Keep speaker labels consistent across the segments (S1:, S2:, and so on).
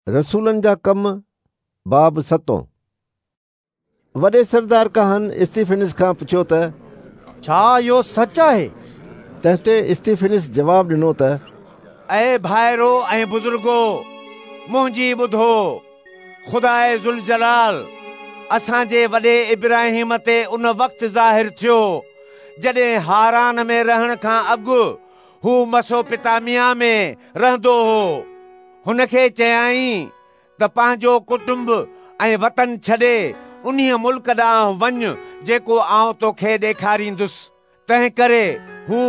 S1: رسولن جا ڪم، باب ستون. وڏي سردار ڪاهن استيفنس کان پڇيو ته.
S2: ڇا اهو سچ آهي؟
S1: تنهن تي استيفنس جواب ڏنو ته.
S3: اي ڀائرو ۽ بزرگو، منهنجي ٻڌو. خداء ذوالجلال اسان جي وڏي ابراهيم تي ان وقت ظاهر ٿيو، جڏهن حاران ۾ رهڻ کان اڳ هو مسوپتاميا ۾ رهندو هو. هن کي چيائين ته پنهنجو ڪٽنب ۽ وطن ڇڏي انهيء ملڪ ڏانهن وڃ جيڪو آئون توکي ڏيکاريندس. تنهنڪري هو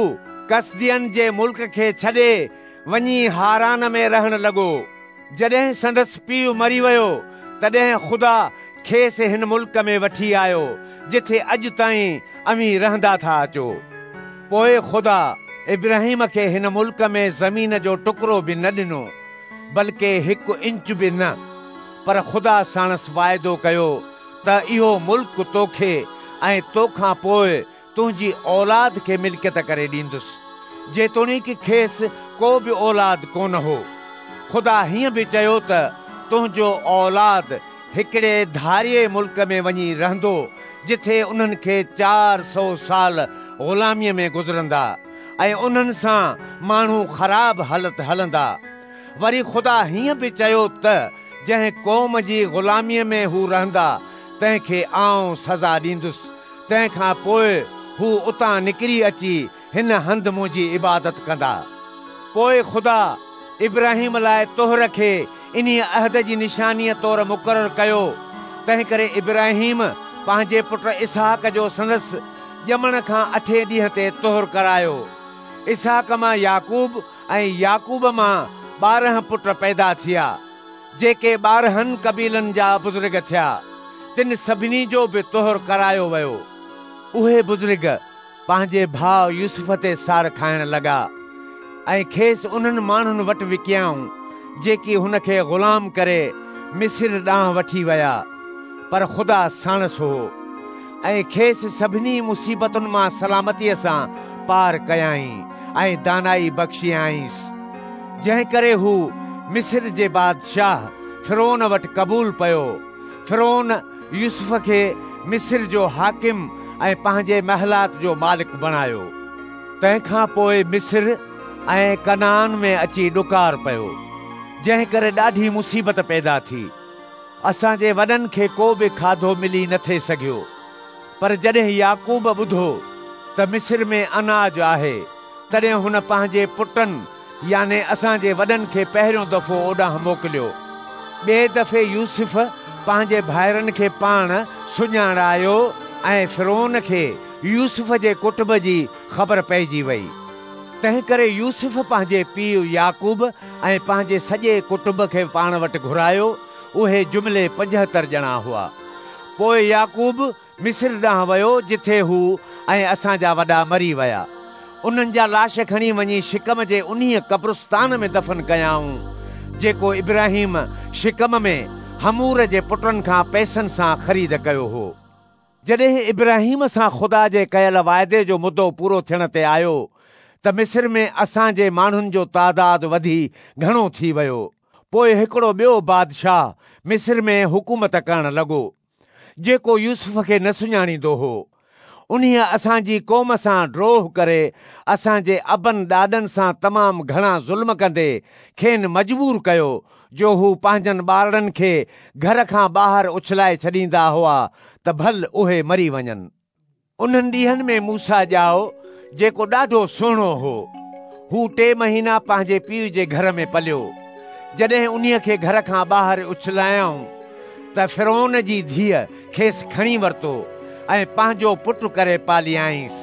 S3: ڪسدين جي ملڪ کي ڇڏي وڃي حاران ۾ رهڻ لڳو. جڏهن سندس پيء مري ويو، تڏهن خدا کيس هن ملڪ ۾ وٺي آيو، جٿي اڄ تائين اوهين رهندا ٿا اچو. پوء خدا ابراهيم کي هن ملڪ ۾ زمين جو ٽڪرو به نه ڏنو، بلڪه هڪ انچ به نه، پر خدا ساڻس واعدو ڪيو ته اهو ملڪ توکي ۽ توکان پوء تنهنجي اولاد کي ملڪيت ڪري ڏيندس، جيتوڻيڪ کيس ڪو به اولاد ڪونه هو. خدا هيئن به چيو ته تنهنجو اولاد هڪڙي ڌارئي ملڪ ۾ وڃي رهندو، جٿي انهن کي 400 سال غلاميء ۾ گذرندا ۽ انهن سان ماڻهو خراب هلت هلندا. وري خدا هيئن به چيو ته جنهن قوم جي غلاميء ۾ هو رهندا، تنهن کي آئون سزا ڏيندس، تنهن کان پوء هو اتان نڪري اچي هن هنڌ منهنجي عبادت ڪندا. پوء خدا ابراهيم لاء طهر کي انهيء عهد جي نشانيء طور مقرر ڪيو، تنهنڪري ابراهيم پنهنجي پٽ اسحاق جو سندس ڄمڻ کان اٺين ڏينهن تي طهر ڪرايو. اسحاق مان يعقوب ۽ يعقوب مان 12 پٽ پيدا ٿيا، جيڪي 12 قبيلن جا بزرگ ٿيا، تن سڀني جو به طهر ڪرايو ويو. اهي بزرگ پنهنجي ڀاء يوسف تي ساڙ کائڻ لڳا ۽ کيس انهن ماڻهن وٽ وڪيائون، جيڪي هن کي غلام ڪري مصر ڏانهن وٺي ويا. پر خدا ساڻس هو ۽ کيس سڀني مصيبتن مان سلامتيء سان پار ڪيائين ۽ دانائي بخشيائينس، جنهن ڪري هو مصر جي بادشاهه فرعون وٽ قبول پيو. فرعون يوسف کي مصر جو حاڪم ۽ پنهنجي محلات جو مالڪ بڻايو. تنهن کان پوء مصر ۽ ڪنعان ۾ اچي ڏڪار پيو، جنهن ڪري ڏاڍي مصيبت پيدا ٿي. اسان جي وڏن کي ڪو به کاڌو ملي نه ٿي سگهيو. پر جڏهن يعقوب ٻڌو ته مصر ۾ اناج آهي، تڏهن هن پنهنجي پٽن يعني اسان جي وڏن کي پهريون دفعو اوڏانهن موڪليو. ٻئي دفعي يوسف پنهنجي ڀائرن کي پاڻ سڃاڻايو ۽ فرعون کي يوسف جي ڪٽنب جي خبر پئجي وئي. تنهنڪري يوسف پنهنجي پيء يعقوب ۽ پنهنجي سڄي ڪٽنب کي پاڻ وٽ گهرايو، اهي جملي 75 ڄڻا هئا. پوء يعقوب مصر ڏانهن ويو جٿي هو ۽ اسان جا وڏا مري ويا. انهن جا لاش کڻي وڃي شڪم جي انهيء قبرستان ۾ دفن ڪيائون، جيڪو ابراهيم شڪم ۾ حمور جي پٽن کان پئسن سان خريد ڪيو هو. جڏهن ابراهيم سان خدا جي ڪيل واعدي جو مدو پورو ٿيڻ تي آيو ته مصر ۾ اسان جي ماڻهن جو تعداد وڌي گهڻو ٿي ويو. پوء هڪڙو ٻيو بادشاهه مصر ۾ حڪومت ڪرڻ لڳو. جيڪو يوسف کي نه سڃاڻيندو هو. انهيء اسان جي قوم سان ڊوهه ڪري اسان جي ابن ڏاڏن سان تمام گهڻا ظلم ڪندي کين مجبور ڪيو جو هو پنهنجن ٻارڙن کي گهر کان ٻاهر اڇلائي ڇڏيندا هئا ته ڀل اهي مري وڃن. انهن ڏينهن ۾ موسيٰ ڄائو، جيڪو ڏاڍو سهڻو هو. هو 3 مهينا پنهنجي پيء جي گهر ۾ پليو. جڏهن انهيء کي گهر کان ٻاهر اڇلايائون ته فرعون جي ڌيء کيس کڻي ورتو ۽ پنهنجو پٽ ڪري پاليائينس.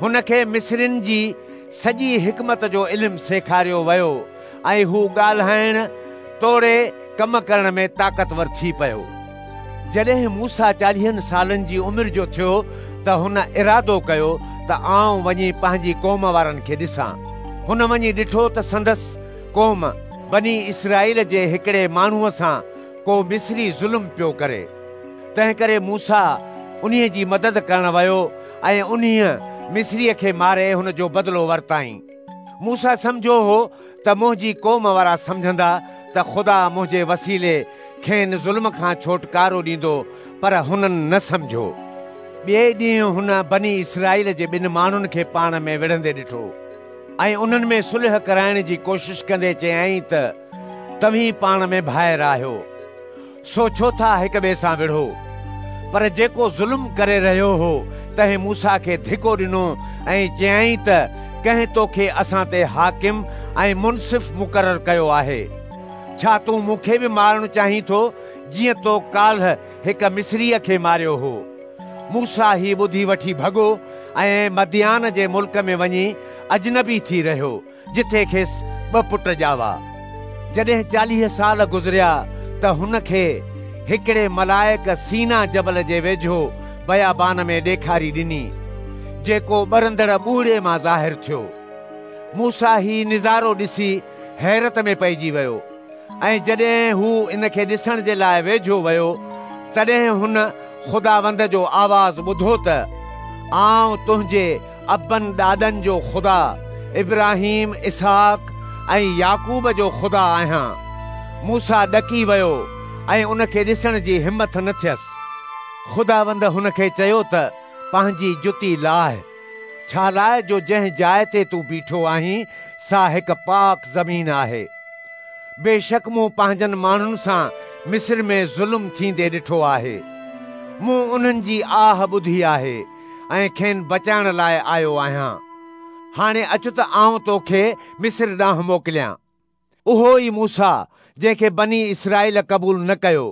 S3: هن کي مصرين جي سڄي حڪمت جو علم سيکاريو ويو ۽ هو ڳالهائڻ توڙي ڪم ڪرڻ ۾ طاقتور ٿي پيو. جڏهن موسيٰ 40 سالن جي عمر جو ٿيو ته هن ارادو ڪيو ته آئون وڃي پنهنجي قوم وارن کي ڏسان. هن وڃي ڏٺو ته سندس قوم بني اسرائيل جي هڪڙي ماڻهوء سان ڪو مصري ظلم پيو ڪري. تنهنڪري موسيٰ انهيء جي مدد ڪرڻ ويو ۽ انهيء مصريء کي ماري هن جو بدلو ورتائين. موسيٰ سمجهيو هو ته منهنجي قوم وارا سمجهندا ته خدا منهنجي وسيلي کين ظلم کان ڇوٽڪارو ڏيندو، پر هنن نه سمجهيو. ٻئي ڏينهن هن بني اسرائيل جي ٻن ماڻهن کي پاڻ ۾ وڙهندي ڏٺو ۽ انهن ۾ صلح ڪرائڻ جي ڪوشش ڪندي چيائين ته توهين پاڻ ۾ ڀائر آهيو، سو ڇو ٿا هڪ ٻئي سان وڙهو؟ پر جيڪو ظلم ڪري رهيو هو، تنهن موسيٰ کي ڌڪو ڏنو ۽ چيائين ته ڪنهن توکي اسان تي حاڪم ۽ منصف مقرر ڪيو آهي؟ ڇا تون مون کي به مارڻ چاهين ٿو، جيئن تو ڪالهه هڪ مصريء کي ماريو هو؟ موسيٰ هي ٻڌي وٺي ڀڳو ۽ مديان جي ملڪ ۾ وڃي اجنبي ٿي رهيو، جتي کيس ٻه پٽ ڄاوا. جڏهن 40 سال گذريا ته هن کي هڪڙي ملائڪ سينا جبل جي ويجهو بيابان ۾ ڏيکاري ڏني، جيڪو ٻرندڙ ٻوڙي مان ظاهر ٿيو. موسيٰ هي نظارو ڏسي حيرت ۾ پئجي ويو ۽ جڏهن هو ان کي ڏسڻ جي لاء ويجهو ويو، تڏهن هن خداوند جو آواز ٻڌو ته آئون تنهنجي ابن ڏاڏن جو خدا، ابراهيم، اسحاق ۽ يعقوب جو خدا آهيان. موسيٰ ڏڪي ويو ۽ ان کي ڏسڻ جي همٿ نه ٿيس. خداوند هن کي چيو ته پنهنجي جتي لاهه، ڇا لاء جو جنهن جاء تي تون بيٺو آهين سا هڪ پاڪ زمين آهي. بيشڪ مون پنهنجن ماڻهن سان مصر ۾ ظلم ٿيندي ڏٺو آهي. مون انهن جي آهه ٻڌي آهي ۽ کين بچائڻ لاء آيو آهيان. هاڻي اچ ته آئون توکي مصر ڏانهن موڪليان. اهو ئي موسيٰ جنهن کي بني اسرائيل قبول نه ڪيو،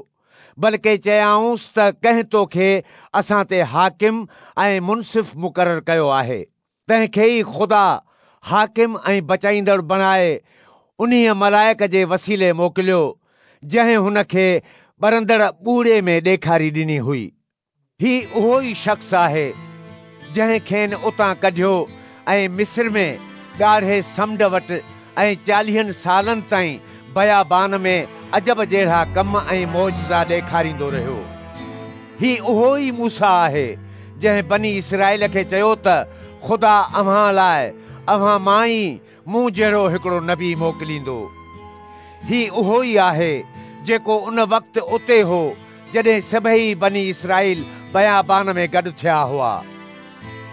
S3: بلڪه چيائونس ته ڪنهن توکي اسان تي حاڪم ۽ منصف مقرر ڪيو آهي؟ تنهن کي ئي خدا حاڪم ۽ بچائيندڙ بڻائي انهيء ملائڪ جي وسيلي موڪليو، جنهن هن کي ٻرندڙ ٻوڙي ۾ ڏيکاري ڏني هئي. هي اهو ئي شخص آهي، جنهن کين اتان ڪڍيو ۽ مصر ۾ ڳاڙهي سمنڊ وٽ ۽ 40 سالن تائين بيابان ۾ عجب جهڙا ڪم ۽ معجزا ڏيکاريندو رهيو. هي اهو ئي موسيٰ آهي، جنهن بني اسرائيل کي چيو ته خدا اوهان لاء اوهان مان ئي مون جهڙو هڪڙو نبي موڪليندو. هي اهو ئي آهي جيڪو ان وقت اتي هو جڏهن سڀئي بني اسرائيل بيابان ۾ گڏ ٿيا هئا.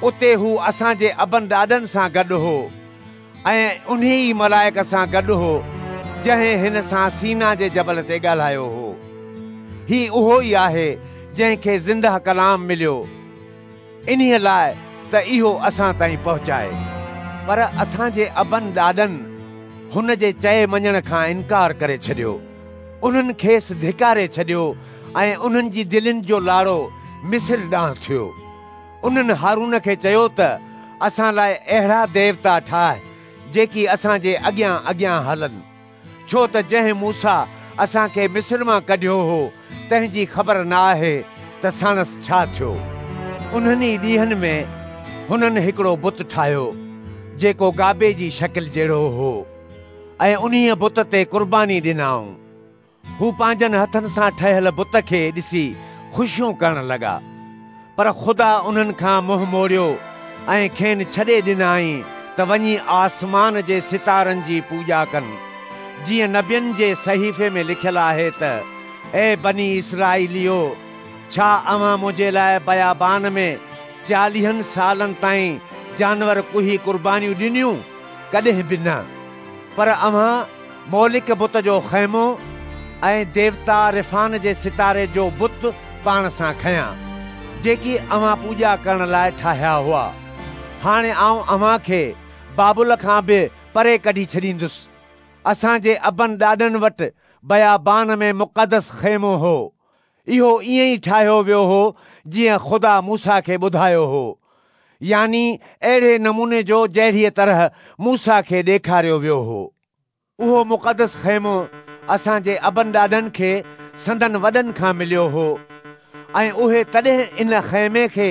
S3: اتي هو اسان جي ابن ڏاڏن سان گڏ هو ۽ انهي ئي ملائڪ سان گڏ هو جنهن هن سان سينا جي جبل تي ڳالهايو هو. هي اهو ئي آهي جنهن کي زنده ڪلام مليو، انهيء لاء ته اهو اسان تائين پهچائي. پر اسان جي ابن ڏاڏن هن جي چئي مڃڻ کان انڪار ڪري ڇڏيو. انهن کيس ڌڪاري ڇڏيو ۽ انهن جي دلين جو لاڙو مصر ڏانهن ٿيو. انهن هارون کي چيو ته اسان لاء اهڙا ديوتا ٺاهه جيڪي اسان جي اڳيان اڳيان هلن. ڇو ته جنهن موسيٰ اسان کي مصر مان ڪڍيو هو، تنهن جي خبر نه آهي ته ساڻس ڇا ٿيو. انهن ئي ڏينهن ۾ هنن هڪڙو بت ٺاهيو، جيڪو گابي جي شڪل جهڙو هو، ۽ انهيء بت تي قرباني ڏنائون. هو پنهنجن هٿن سان ٺهيل بت کي ڏسي خوشيون ڪرڻ لڳا. پر خدا انهن کان منهن موڙيو ۽ کين ڇڏي ڏنائين ته وڃي آسمان جي ستارن جي پوڄا ڪن، جيئن نبين جي صحيفي ۾ لکيل آهي ته اي بني اسرائيليو! ڇا اوهان منهنجي لاء بيابان ۾ 40 سالن تائين جانور ڪهي قربانيون ڏنيون؟ ڪڏهن به نه! پر اوهان مولڪ بت جو خيمو ۽ ديوتا ريفان جي ستاري جو بت پاڻ سان کنيا، جيڪي اوهان پوڄا ڪرڻ لاء ٺاهيا هئا. هاڻي آئون اوهان کي بابل کان به پري ڪڍي ڇڏيندس. اسان جي ابن ڏاڏن وٽ بيابان ۾ مقدس خيمو هو. اهو ائين ئي ٺاهيو ويو هو جيئن خدا موسيٰ کي ٻڌايو هو، يعني اهڙي نموني جو جهڙيء طرح موسيٰ کي ڏيکاريو ويو هو. اهو مقدس خيمو اسان جي ابن ڏاڏن کي سندن وڏن کان مليو هو ۽ اهي تڏهن ان خيمي کي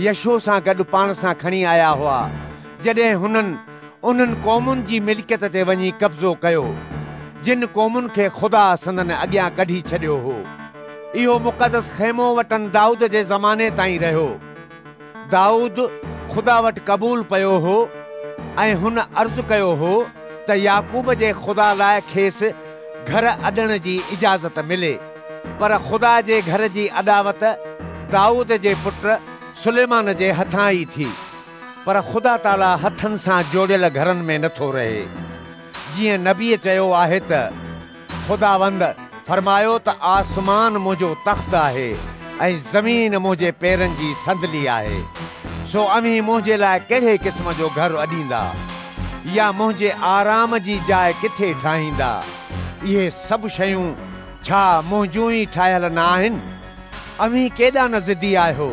S3: يشوع سان گڏ پاڻ سان کڻي آيا هئا، جڏهن هنن انهن قومن جي ملڪيت تي وڃي قبضو ڪيو، جن قومن کي خدا سندن اڳيان ڪڍي ڇڏيو هو. اهو مقدس خيمو وٽن دائود جي زماني تائين رهيو. دائود خدا وٽ قبول پيو هو ۽ هن عرض ڪيو هو ته يعقوب جي خدا لاء کيس گهر اڏڻ جي اجازت ملي. پر خدا جي گهر جي اڏاوت دائود جي پٽ سليمان جي هٿان ئي ٿي. پر خدا تعاليٰ هٿن سان جوڙيل گهرن ۾ نٿو رهي. جيئن نبيء چيو آهي ته، خداوند فرمايو ته آسمان منهنجو تخت آهي ۽ زمين منهنجي پيرن جي صندلي آهي. سو اوهين منهنجي لاء ڪهڙي قسم جو گهر اڏيندا؟ يا منهنجي آرام جي جاء ڪٿي ٺاهيندا؟ اهي سڀ شيون ڇا منهنجون ئي ٺاهيل نه آهن؟ اوهين ڪيڏا نه ضدي آهيو!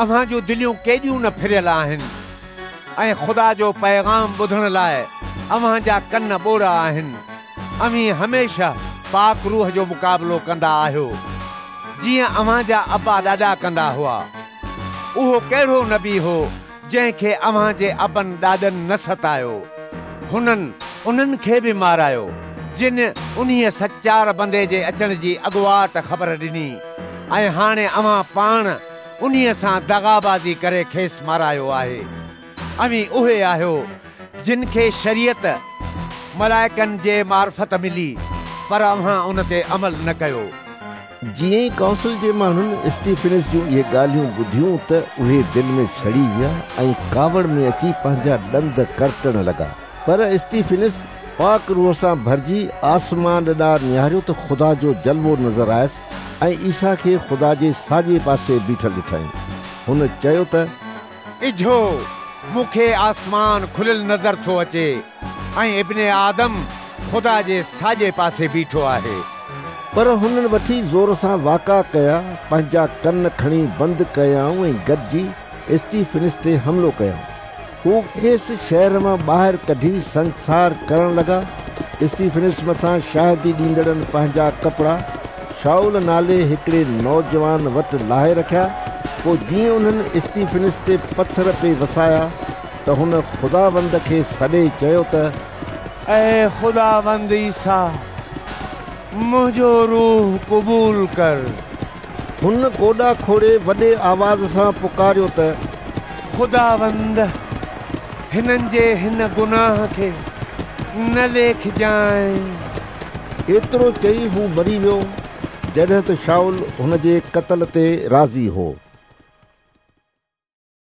S3: اوهان جون دليون ڪيڏيون نه ڦريل آهن ۽ خدا جو پيغام ٻڌڻ لاء اوهان جا ڪن ٻوڙا آهن. اوهين هميشه پاڪ روح جو مقابلو ڪندا آهيو، جيئن اوهان جا ابا ڏاڏا ڪندا هئا. اهو ڪهڙو نبي هو جنهن کي اوهان جي ابن ڏاڏن نه ستايو؟ هنن انهن کي به مارايو، جن انهيء سچار بندي جي اچڻ جي اڳواٽ خبر ڏني ۽ هاڻي اوهان پاڻ انهيء سان دغابازي ڪري کيس مارايو آهي. اوهين اهي آهيو، جن کي شريعت ملائڪن جي معرفت ملي، پر اوهان ان تي عمل نه ڪيو.
S1: جيئن ئي ڪائونسل جي ماڻهن استيفنس جون اهي ڳالهيون ٻڌيون ته اهي دل ۾ سڙي ويا ۽ ڪاوڙ ۾ اچي پنهنجا ڏند ڪرٽڻ لڳا. پر استيفنس پاڪ روح سان ڀرجي آسمان ڏانهن نهاريو ته خدا جو جلوو نظر آيس ۽ عيسيٰ کي خدا جي ساڄي پاسي بيٺل ڏٺائين. هن چيو ته.
S3: اجهو، مون کي آسمان کليل نظر ٿو اچي ۽ ابن آدم خدا جي ساڄي پاسي بيٺو آهي.
S1: پر هنن وٺي زور سان واڪا ڪيا، پنهنجا ڪن کڻي بند ڪيائون ۽ گڏجي استيفنس تي حملو ڪيائون. هو کيس شهر مان ٻاهر ڪڍي سنگسار ڪرڻ لڳا. استيفنس مٿان شاهدي ڏيندڙن پنهنجا ڪپڙا شائول نالي هڪڙي نوجوان وٽ لاهي رکيا. پوء جيئن انهن استيفنس تي پٿر پئي وسايا ته هن خداوند کي سڏي چيو ته.
S3: اي خداوند عيسيٰ، منهنجو روح قبول ڪر.
S1: هن گوڏا کوڙي وڏي آواز سان پڪاريو ته.
S3: خداوند، هنن جي هن گناهه کي نه ليکجانء.
S1: ايترو چئي هو مري ويو، جڏهن ته شائول هن جي قتل تي راضي هو.